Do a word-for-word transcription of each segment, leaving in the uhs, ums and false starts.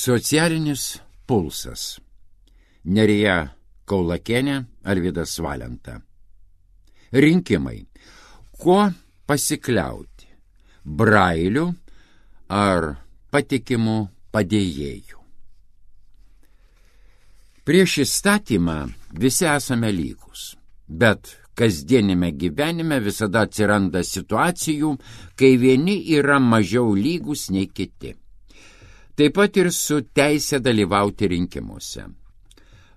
Socialinis pulsas. Nerija Kaulakienė, Alvydas Valenta. Rinkimai. Kuo pasikliauti? Brailiu ar patikimu padėjėju? Prieš įstatymą visi esame lygus, bet kasdienime gyvenime visada atsiranda situacijų, kai vieni yra mažiau lygus nei kiti. Taip pat ir su teisė dalyvauti rinkimuose.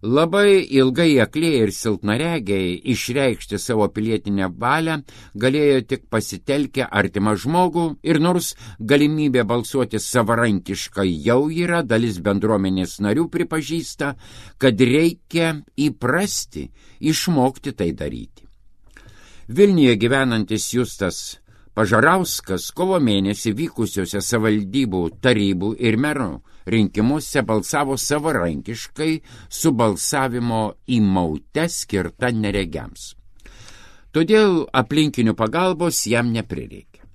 Labai ilgai aklieji ir silpnaregiai išreikšti savo pilietinę valią galėjo tik pasitelkę artimą žmogų ir nors galimybė balsuoti savarankiškai jau yra, dalis bendruomenės narių pripažįsta, kad reikia įprasti, išmokti tai daryti. Vilniuje gyvenantis Justas Pažarauskas kovo mėnesį vykusiuose savivaldybų tarybų ir merų rinkimuose balsavo savarankiškai su balsavimo įmaute skirta neregiams. Todėl aplinkinių pagalbos jam neprireikė.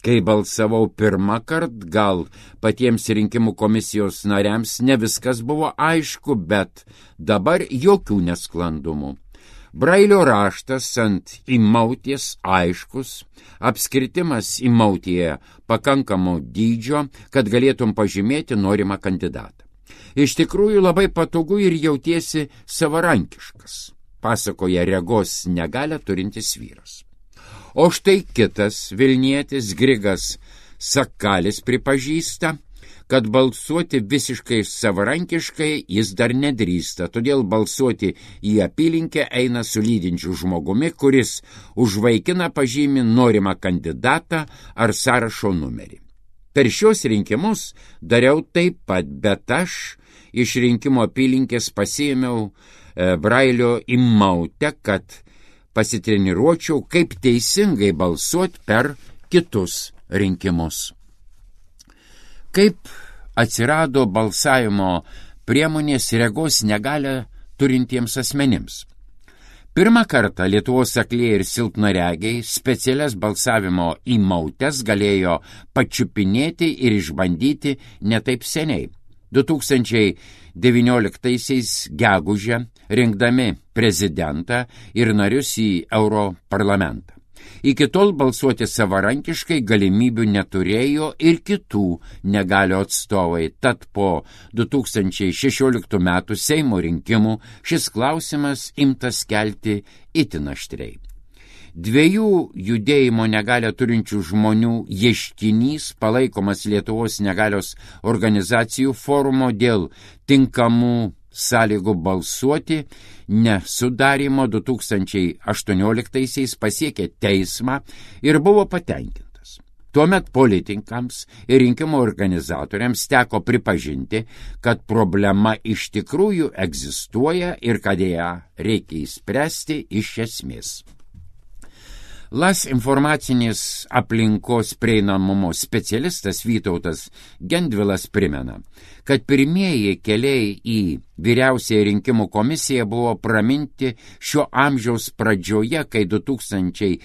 Kai balsavau pirmą kartą, gal patiems rinkimų komisijos nariams ne viskas buvo aišku, bet dabar jokių nesklandumų. Brailio raštas ant įmauties aiškus, apskritimas įmautyje pakankamo dydžio, kad galėtum pažymėti norimą kandidatą. Iš tikrųjų labai patogu ir jautiesi savarankiškas, pasakoja regos negalią turintis vyras. O štai kitas vilnietis Grigas Sakalis pripažįsta, kad balsuoti visiškai savarankiškai jis dar nedrįsta, todėl balsuoti į apylinkę eina su lydinčiu žmogumi, kuris užvaikina pažymį norimą kandidatą ar sąrašo numerį. Per šios rinkimus dariau taip pat, bet aš iš rinkimo apylinkės pasiėmiau e, Brailio įmautę, kad pasitreniruočiau, kaip teisingai balsuoti per kitus rinkimus. Kaip atsirado balsavimo priemonės regos negalią turintiems asmenims? Pirmą kartą Lietuvos aklieji ir silpnaregiai specialias balsavimo įmautes galėjo pačiupinėti ir išbandyti netaip seniai. du tūkstančiai devynioliktaisiais gegužę rinkdami prezidentą ir narius į Europarlamentą. Iki tol balsuoti savarankiškai galimybių neturėjo ir kitų negalio atstovai, tad po du tūkstančiai šešioliktų metų Seimo rinkimų šis klausimas imtas kelti itin aštriai. Dviejų judėjimo negalią turinčių žmonių ieškinys palaikomas Lietuvos negalios organizacijų forumo dėl tinkamų sąlygų balsuoti nesudarimo du tūkstančiai aštuonioliktaisiais pasiekė teismą ir buvo patenkintas. Tuomet politikams ir rinkimų organizatoriams teko pripažinti, kad problema iš tikrųjų egzistuoja ir kad ją reikia įspręsti iš esmės. Las informacinės aplinkos prieinamumo specialistas Vytautas Gendvilas primena, kad pirmieji keliai į vyriausiąją rinkimų komisiją buvo praminti šio amžiaus pradžioje, kai du tūkstančiai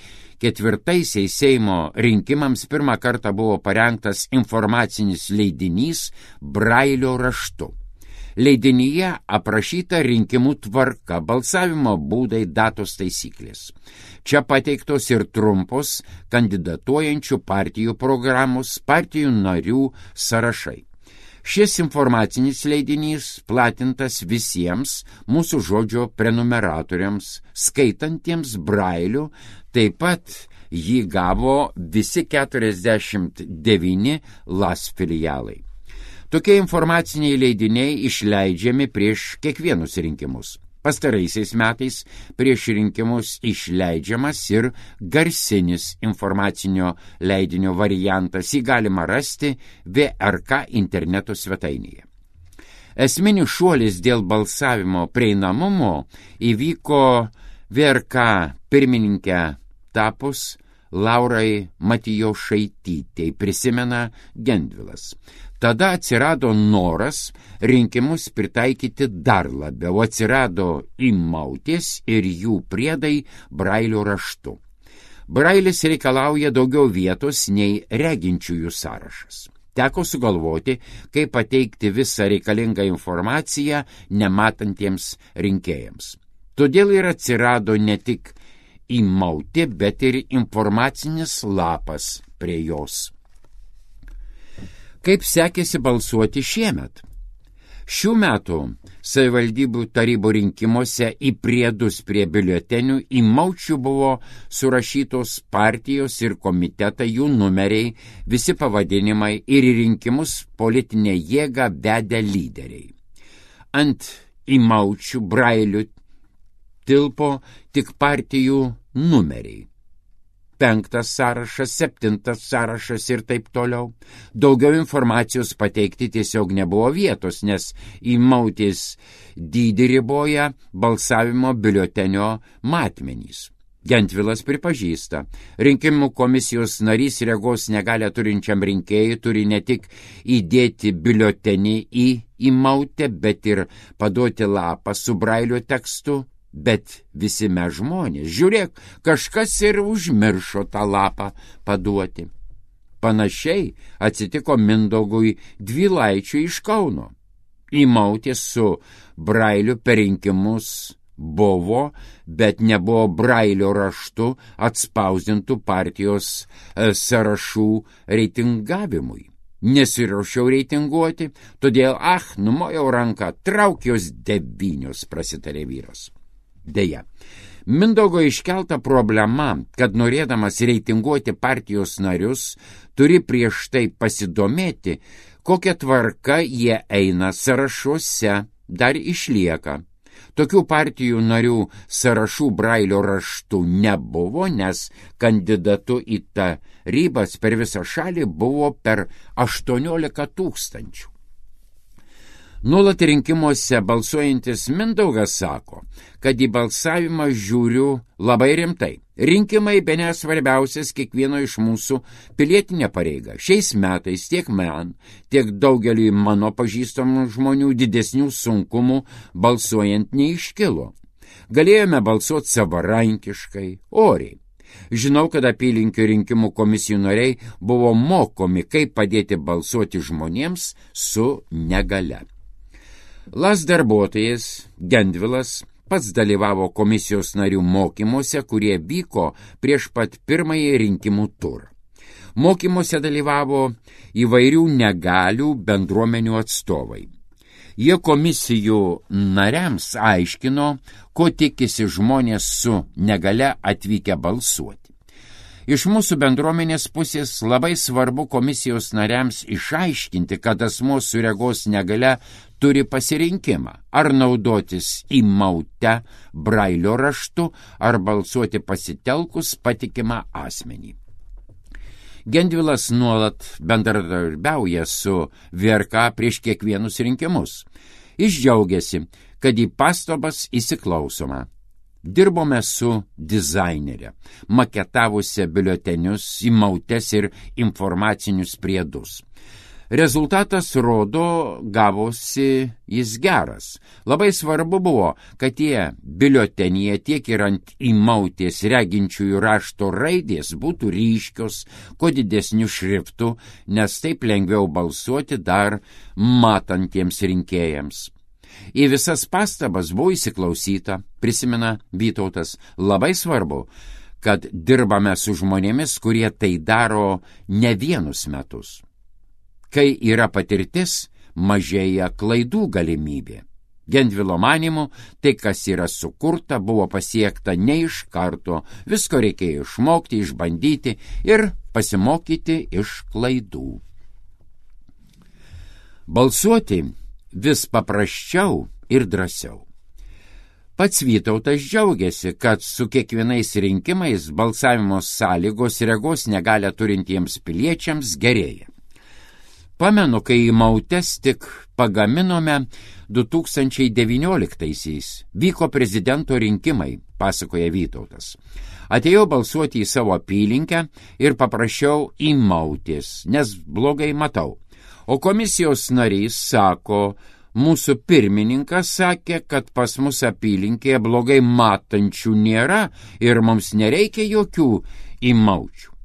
ketvirtaisiais Seimo rinkimams pirmą kartą buvo parengtas informacinis leidinys Brailio raštu. Leidinyje aprašyta rinkimų tvarka, balsavimo būdai, datos taisyklės. Čia pateiktos ir trumpos kandidatuojančių partijų programos, partijų narių sąrašai. Šis informacinis leidinys platintas visiems mūsų žodžio prenumeratoriams, skaitantiems Brailiu, taip pat jį gavo visi keturiasdešimt devyni Las filialai. Tokie informaciniai leidiniai išleidžiami prieš kiekvienus rinkimus. Pastaraisiais metais prieš rinkimus išleidžiamas ir garsinis informacinio leidinio variantas, jį galima rasti V R K interneto svetainėje. Esminis šuolis dėl balsavimo prieinamumo įvyko V R K pirmininkę tapus Laurai Matijošaitytei, prisimena Gendvilas. Tada atsirado noras rinkimus pritaikyti dar labiau, atsirado įmautės ir jų priedai Brailio raštu. Brailis reikalauja daugiau vietos nei reginčiųjų sąrašas. Teko sugalvoti, kaip pateikti visą reikalingą informaciją nematantiems rinkėjams. Todėl ir atsirado ne tik įmauti, bet ir informacinis lapas prie jos. Kaip sekėsi balsuoti šiemet? Šių metų savivaldybių tarybų rinkimuose į priedus prie biuletenių įmaučių buvo surašytos partijos ir komitetai, jų numeriai, visi pavadinimai ir į rinkimus politinę jėgą vedę lyderiai. Ant įmaučių brailių tilpo tik partijų numeriai. Penktas sąrašas, septintas sąrašas ir taip toliau. Daugiau informacijos pateikti tiesiog nebuvo vietos, nes įmautės dydį riboja balsavimo biuletenio matmenys. Gentvilas pripažįsta, rinkimų komisijos narys regos negalią turinčiam rinkėjui turi ne tik įdėti biuletenį į įmautę, bet ir paduoti lapą su brailio tekstu. Bet visi mes žmonės, žiūrėk, kažkas ir užmiršo tą lapą paduoti. Panašiai atsitiko Mindaugui Dvylaičiui iš Kauno. Įmautė su brailiu per rinkimus buvo, bet nebuvo brailio raštu atspausdintų partijos sąrašų reitingavimui. Nesiruošiau reitinguoti, todėl, ah, numojau ranką, traukios devynios, prasitarė vyras. Deja, Mindaugo iškelta problema, kad norėdamas reitinguoti partijos narius, turi prieš tai pasidomėti, kokia tvarka jie eina sąrašuose, dar išlieka. Tokių partijų narių sąrašų brailio raštų nebuvo, nes kandidatu į tarybas per visą šalį buvo per aštuoniolika tūkstančių. Nuolat rinkimuose balsuojantis Mindaugas sako, kad į balsavimą žiūriu labai rimtai. Rinkimai bene svarbiausias kiekvieno iš mūsų pilietinė pareiga. Šiais metais tiek man, tiek daugeliui mano pažįstamų žmonių didesnių sunkumų balsuojant neiškilo. Galėjome balsuoti savarankiškai, oriai. Žinau, kad apylinkių rinkimų komisijų nariai buvo mokomi, kaip padėti balsuoti žmonėms su negale. Las darbuotojas Gentvilas pats dalyvavo komisijos narių mokymuose, kurie vyko prieš pat pirmąjį rinkimų turą. Mokymuose dalyvavo įvairių negalių bendruomenių atstovai. Jie komisijų nariams aiškino, ko tikisi žmonės su negale atvykę balsuoti. Iš mūsų bendruomenės pusės labai svarbu komisijos nariams išaiškinti, kad asmuo su regos negale turi pasirinkimą, ar naudotis įmaute brailio raštu, ar balsuoti pasitelkus patikimą asmenį. Gentvilas nuolat bendradarbiauja su V R K prieš kiekvienus rinkimus. Jis džiaugiasi, kad į pastabas įsiklausoma. Dirbome su dizainerė, maketavusią biuletenius, įmautes ir informacinius priedus. Rezultatas rodo, gavosi jis geras. Labai svarbu buvo, kad tie biuletenyje tiek ir ant įmautės reginčiųjų rašto raidės būtų ryškios, kuo didesnių šriftų, nes taip lengviau balsuoti dar matantiems rinkėjams. Į visas pastabas buvo įsiklausyta, prisimena Vytautas, labai svarbu, kad dirbame su žmonėmis, kurie tai daro ne vienus metus. Kai yra patirtis, mažėja klaidų galimybė. Gentvilo manymu, tai, kas yra sukurta, buvo pasiekta ne iš karto, visko reikėjo išmokti, išbandyti ir pasimokyti iš klaidų. Balsuoti vis paprasčiau ir drąsiau. Pats Vytautas džiaugiasi, kad su kiekvienais rinkimais balsavimo sąlygos regos negalią turintiems piliečiams gerėja. Pamenu, kai įmautes tik pagaminome du tūkstančiai devynioliktaisiais, vyko prezidento rinkimai, pasakoja Vytautas. Atėjau balsuoti į savo apylinkę ir paprašiau įmautės, nes blogai matau. O komisijos narys sako, mūsų pirmininkas sakė, kad pas mus apylinkėje blogai matančių nėra ir mums nereikia jokių įmaučių.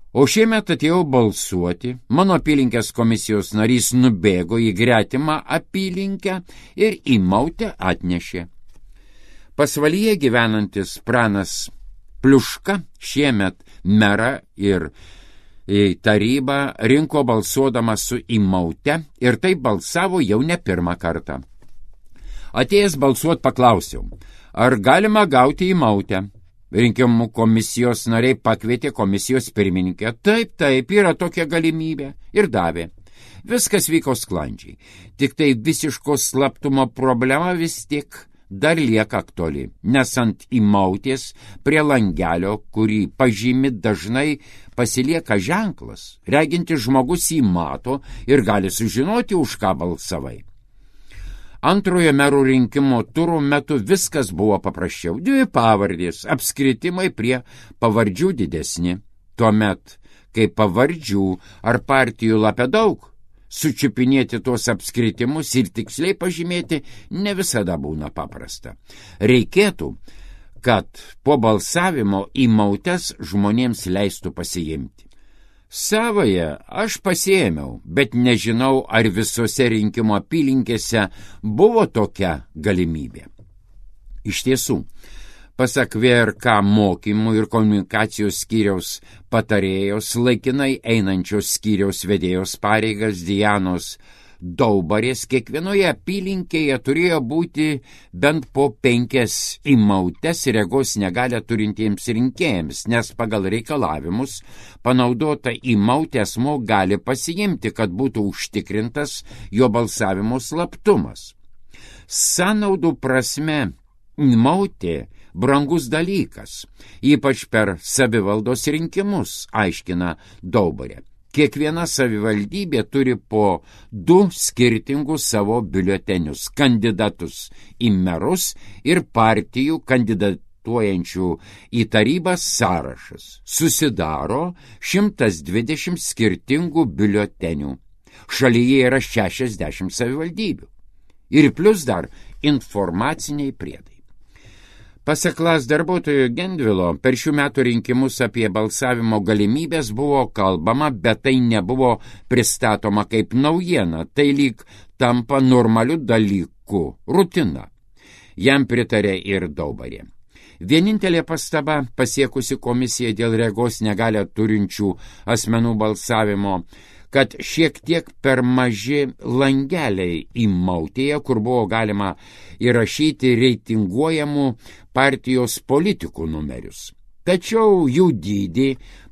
O šiemet atėjau balsuoti, mano apylinkės komisijos narys nubėgo į gretimą apylinkę ir į Mautę atnešė. Pasvalyje gyvenantis Pranas Pliuška šiemet merą ir tarybą rinko balsuodamas su į Mautę ir taip balsavo jau ne pirmą kartą. Atėjęs balsuot paklausiau, ar galima gauti į Mautę. Rinkimų komisijos nariai pakvietė komisijos pirmininkę. Taip, taip, yra tokia galimybė. Ir davė. Viskas vyko sklandžiai. Tik tai visiško slaptumo problema vis tik dar lieka aktuali, nes ant įmautės prie langelio, kurį pažymi dažnai, pasilieka ženklas. Regintis žmogus jį mato ir gali sužinoti, už ką balsavai. Antrojo merų rinkimo turų metu viskas buvo paprasčiau. Dvi pavardės, apskritimai prie pavardžių didesni. Tuomet, kai pavardžių ar partijų lape daug, sučiupinėti tuos apskritimus ir tiksliai pažymėti ne visada būna paprasta. Reikėtų, kad po balsavimo įmautes žmonėms leistų pasiimti. Savoje aš pasiėmiau, bet nežinau, ar visose rinkimo apylinkėse buvo tokia galimybė. Iš tiesų, pasak V R K mokymų ir komunikacijos skyriaus patarėjos, laikinai einančios skyriaus vedėjos pareigas Dianos Daubarės, kiekvienoje apylinkėje turėjo būti bent po penkias įmautes regos negalią turintiems rinkėjams, nes pagal reikalavimus panaudota įmautė asmuo gali pasiimti, kad būtų užtikrintas jo balsavimo slaptumas. Sąnaudų prasme įmautė brangus dalykas, ypač per savivaldos rinkimus, aiškina Daubarė. Kiekviena savivaldybė turi po du skirtingus savo biuletenius – kandidatus į merus ir partijų kandidatuojančių į tarybas sąrašas. Susidaro šimtas dvidešimt skirtingų biuletenių. Šalyje yra šešiasdešimt savivaldybių. Ir plus dar informaciniai priedai. Pasak L A S darbuotojo Gendvilo, per šių metų rinkimus apie balsavimo galimybės buvo kalbama, bet tai nebuvo pristatoma kaip naujiena, tai lyg tampa normaliu dalyku, rutina. Jam pritarė ir Daubarė. Vienintelė pastaba pasiekusi komisiją dėl regos negalią turinčių asmenų balsavimo, kad šiek tiek per maži langeliai įmautėje, kur buvo galima įrašyti reitinguojamų partijos politikų numerius. Tačiau jų dydį,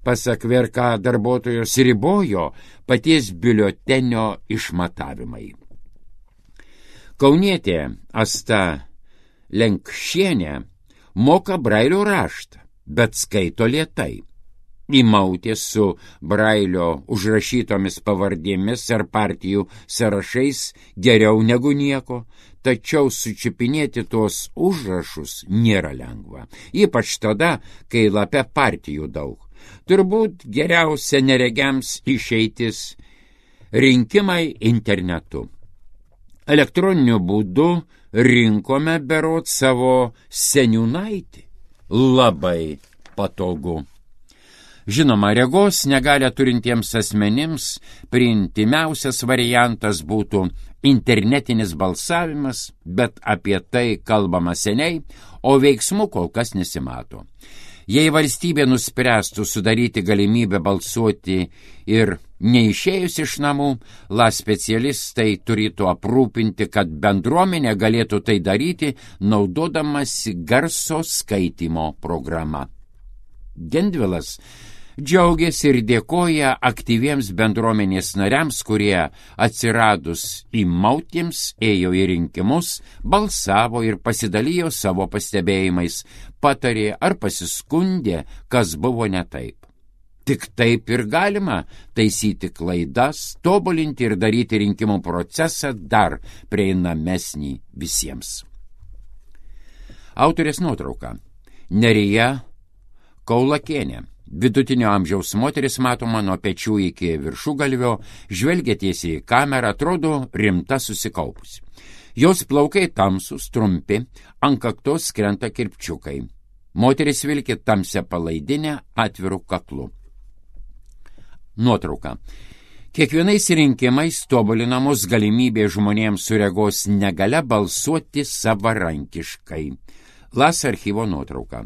pasak V R K darbuotojos, ribojo paties biuletenio išmatavimai. Kaunietė Asta Lenkšienė moka brailio raštą, bet skaito lėtai. Įmautė su brailio užrašytomis pavardėmis ar partijų sąrašais geriau negu nieko, tačiau sučiupinėti tuos užrašus nėra lengva, ypač tada, kai lape partijų daug. Turbūt geriausia neregiams išeitis rinkimai internetu. Elektroniniu būdu rinkome berot savo seniūnaitį. Labai patogu. Žinoma, regos negalią turintiems asmenims priimtimiausias variantas būtų internetinis balsavimas, bet apie tai kalbama seniai, o veiksmų kol kas nesimato. Jei valstybė nuspręstų sudaryti galimybę balsuoti ir neišėjus iš namų, L A specialistai turėtų aprūpinti, kad bendruomenė galėtų tai daryti, naudodamasi garso skaitymo programa. Gendvilas džiaugiasi ir dėkoja aktyviems bendruomenės nariams, kurie atsiradus įmautėms ėjo į rinkimus, balsavo ir pasidalijo savo pastebėjimais, patarė ar pasiskundė, kas buvo ne taip. Tik taip ir galima taisyti klaidas, tobulinti ir daryti rinkimų procesą dar prieinamesnį visiems. Autorės nuotrauka. Nerija Kaulakienė. Vidutinio amžiaus moteris matoma nuo pečių iki viršugalvio, žvelgia tiesiai į kamerą, atrodo rimta susikaupusi. Jos plaukai tamsūs, trumpi, ant kaktos krenta kirpčiukai. Moteris vilki tamsią palaidinę atviru kaklu. Nuotrauka. Kiekvienais rinkimais tobulinamos galimybė žmonėms su regos negale balsuoti savarankiškai. Las archyvo nuotrauka.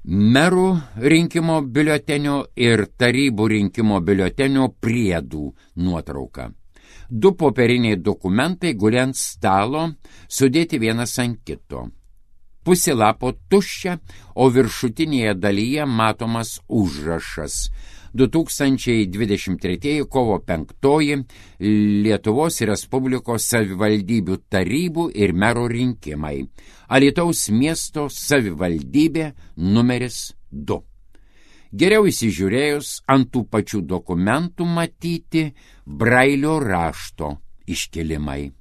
Merų rinkimo biuletenio ir tarybų rinkimo biuletenio priedų nuotrauka. Du popieriniai dokumentai guli ant stalo, sudėti vienas ant kito. Pusė lapo tuščia, o viršutinėje dalyje matomas užrašas. du tūkstančiai dvidešimt trečiųjų kovo penktoji Lietuvos Respublikos savivaldybių tarybų ir merų rinkimai. Alytaus miesto savivaldybė numeris du. Geriau įsižiūrėjus ant tų pačių dokumentų matyti Brailio rašto iškilimai.